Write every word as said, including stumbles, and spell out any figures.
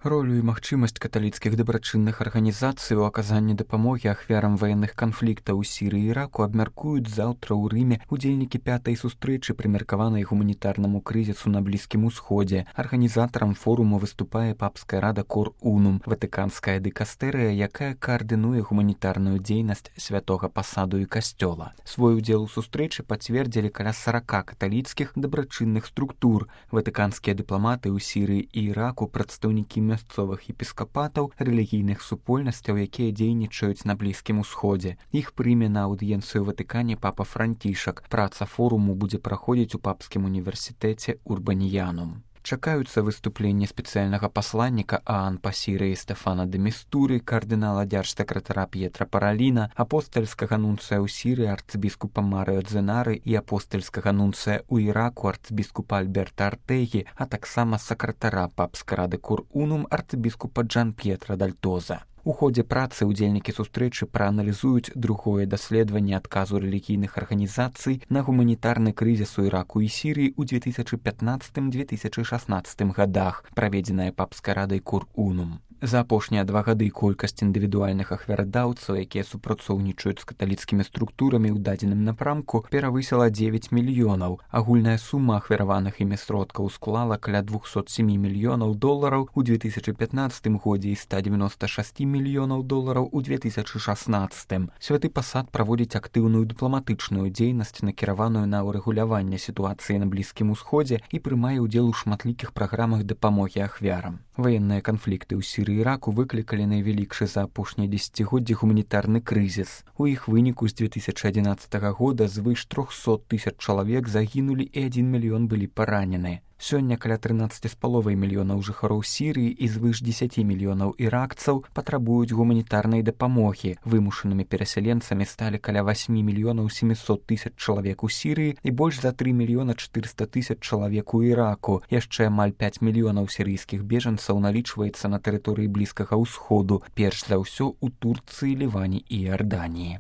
Ролю і магчымасць каталіцкіх дабрачынных арганізацый у аказанні дапамогі ахвярам ваенных канфліктаў у Сірыі і Іраку абмяркуюць заўтра ў Рыме удзельнікі пятай сустрэчы, прымеркаванай гуманітарнаму крызісу на Блізкім Усходзе. Арганізатарам форуму выступае папская рада Кор Унум, ватыканская дыкастэрыя, якая каардынуе гуманітарную дзейнасць святога пасаду і касцёла. Свой удзел у сустрэчы пацвердзілі каля сарака каталіцкіх дабрачынных структур, ватыканскія дыпламаты ў Сірыі і Іраку, прадстаўнікі мясцовых епіскапатаў, рэлігійных супольнасцяў, якія дзейнічаюць на Блізкім Усходзе. Іх прыме на аўдыенцыю ў Ватыкане папа Францішак. Праца форуму будзе праходзіць у папскім універсітэце Урбаніянум. Чакаюцца выступленні спецыяльнага пасланніка ААН па Сірыі Стэфана де Містуры, кардынала дзяржсакратара П'етра Параліна, апостальскага нунцыя ў Сірыі арцыбіскупа Марыо Дзенары і апостальскага нунцыя ў Іраку арцыбіскупа Альберта Артегі, а таксама сакратара папскай рады Кор Унум арцыбіскупа Джан П'етра Дальтоза. У ходзе працы ўдзельнікі сустрэчы прааналізуюць другое даследаванне адказу рэлігійных арганізацый на гуманітарны крызіс у Іраку і Сірыі ў две тысячы пятнаццатым — две тысячы шаснаццатым гадах, праведзеная папскай радай Кор Унум. За апошнія два гады колькасць індывідуальных ахвярадаўцаў, якія супрацоўнічаюць з каталіцкімі структурамі ў дадзеным напрамку, перавысіла дзевяць мільёнаў. Агульная сума ахвяраваных імі сродкаў склала каля двухсот семи мільёнаў долараў у две тысячы пятнаццатым годзе і ста дзевяноста шасці мільёнаў долараў у две тысячы шаснаццатым. Святы пасад праводзіць актыўную дыпламатычную дзейнасць, накіраваную на ўрэгуляванне сітуацыі на Блізкім Усходзе і прымае ўдзел у шматлікіх праграмах дапамогі ахвярам. Ваенныя канфлікты ў Сірыі і Іраку выклікалі найвялікшы за апошнія дзесяцігоддзі гуманітарны крызіс. У іх выніку з две тысячы адзінаццатага года звыш трохсот тысяч чалавек загінулі і адзін мільён былі паранены. Сёння каля трынаццаці з паловай мільёнаў жыхароў Сірыі і звыш дзесяці мільёнаў іракцаў патрабуюць гуманітарнай дапамогі. Вымушанымі перасяленцамі сталі каля васьмі мільёнаў сямісот тысяч чалавек у Сірыі і больш за тры мільёна чатырыста тысяч чалавек у Іраку. Яшчэ амаль пяць мільёнаў сірыйскіх бежанцаў налічваецца на тэрыторыі Блізкага Ўсходу, перш за ўсё ў Турцыі, Ліване і Іарданіі.